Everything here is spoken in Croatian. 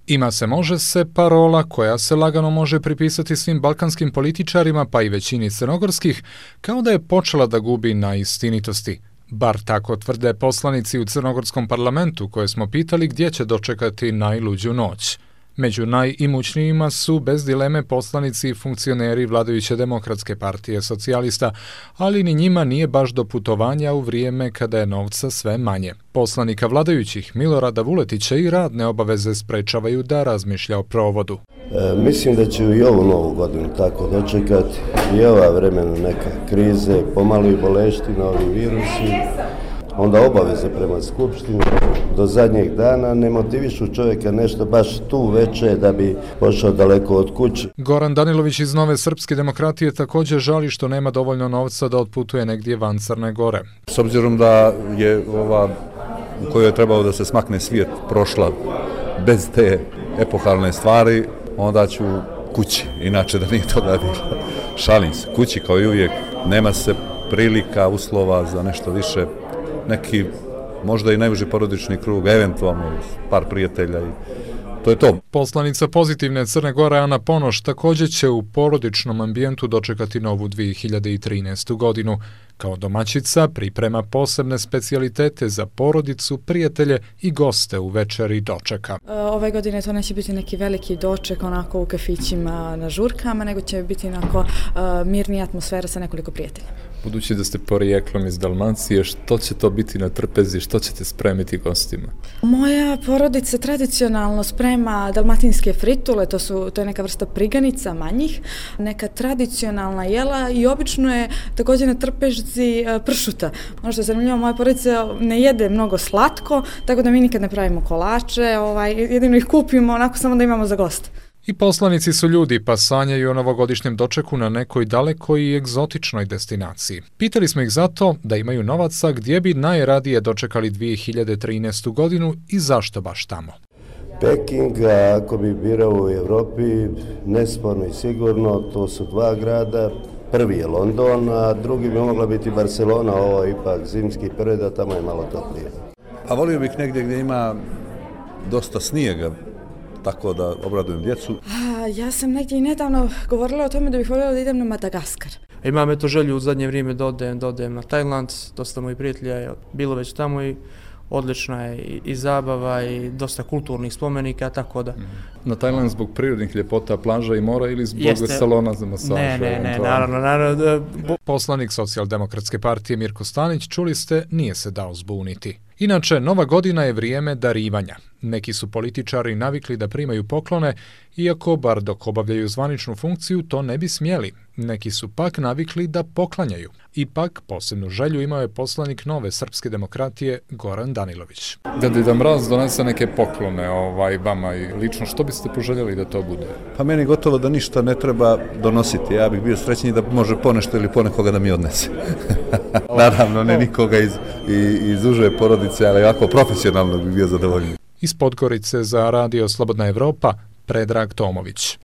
Ima se, može se parola koja se lagano može pripisati svim balkanskim političarima, pa i većini crnogorskih, kao da je počela da gubi na istinitosti. Bar tako tvrde poslanici u crnogorskom parlamentu koje smo pitali gdje će dočekati najluđu noć. Među najimućnijima su bez dileme poslanici i funkcioneri vladajuće Demokratske partije socijalista, ali ni njima nije baš do putovanja u vrijeme kada je novca sve manje. Poslanika vladajućih Milorada Vuletića i radne obaveze sprečavaju da razmišlja o provodu. Mislim da će i ovu novu godinu tako dočekati i ova vremena neka krize, pomalo i boleština, ovi virusi, onda obaveze prema skupštini do zadnjeg dana ne motivišu čovjeka nešto baš tu veče da bi pošao daleko od kuće. Goran Danilović iz Nove srpske demokratije također žali što nema dovoljno novca da otputuje negdje van Crne Gore. S obzirom da je ova u kojoj je trebao da se smakne svijet prošla bez te epohalne stvari, onda ću kući, inače da nije toga bilo. Šalim se, kući kao i uvijek, nema se prilika, uslova za nešto više, neki možda i najuži porodični krug, eventualno par prijatelja i to je to. Poslanica Pozitivne Crne Gore Ana Ponoš također će u porodičnom ambijentu dočekati novu 2013. godinu. Kao domaćica priprema posebne specijalitete za porodicu, prijatelje i goste u večeri dočeka. Ove godine to neće biti neki veliki doček onako u kafićima na žurkama, nego će biti onako mirnija atmosfera sa nekoliko prijatelja. Budući da ste porijeklom iz Dalmacije, što će to biti na trpezi, što ćete spremiti gostima? Moja porodica tradicionalno sprema dalmatinske fritule, to je neka vrsta priganica manjih, neka tradicionalna jela i obično je također na trpežci pršuta. Ono što je zanimljivo, moja porodica ne jede mnogo slatko, tako da mi nikad ne pravimo kolače, jedino ih kupimo onako samo da imamo za goste. I poslanici su ljudi, pa sanjaju o novogodišnjem dočeku na nekoj dalekoj i egzotičnoj destinaciji. Pitali smo ih zato da imaju novaca gdje bi najradije dočekali 2013. godinu i zašto baš tamo. Peking, ako bi birao u Europi, nesporno i sigurno, to su dva grada. Prvi je London, a drugi bi mogla biti Barcelona, ovo je ipak zimski period, a tamo je malo toplije. A volio bih negdje gdje ima dosta snijega, tako da obradujem djecu. Ja sam negdje i nedavno govorila o tome da bih voljela da idem na Madagaskar. Imam eto želju u zadnje vrijeme da odem na Tajland, dosta mojih prijatelja je bilo već tamo i odlična je i zabava i dosta kulturnih spomenika, tako da. Na Tajland zbog prirodnih ljepota, plaža i mora ili zbog salona za masaž? Ne, naravno. Poslanik Socijaldemokratske partije Mirko Stanić, čuli ste, nije se dao zbuniti. Inače, nova godina je vrijeme darivanja. Neki su političari navikli da primaju poklone, iako, bar dok obavljaju zvaničnu funkciju, to ne bi smjeli. Neki su pak navikli da poklanjaju. Ipak, posebnu želju imao je poslanik Nove srpske demokratije Goran Danilović. Da Deda Mraz donese neke poklone vama i lično, što biste poželjeli da to bude? Pa meni gotovo da ništa ne treba donositi. Ja bih bio srećniji da može ponešto ili ponekoga da mi odnese. Naravno, ne nikoga iz uže porodice, ali ovako profesionalno bih bio zadovoljniji. Iz Podgorice za Radio Slobodna Evropa, Predrag Tomović.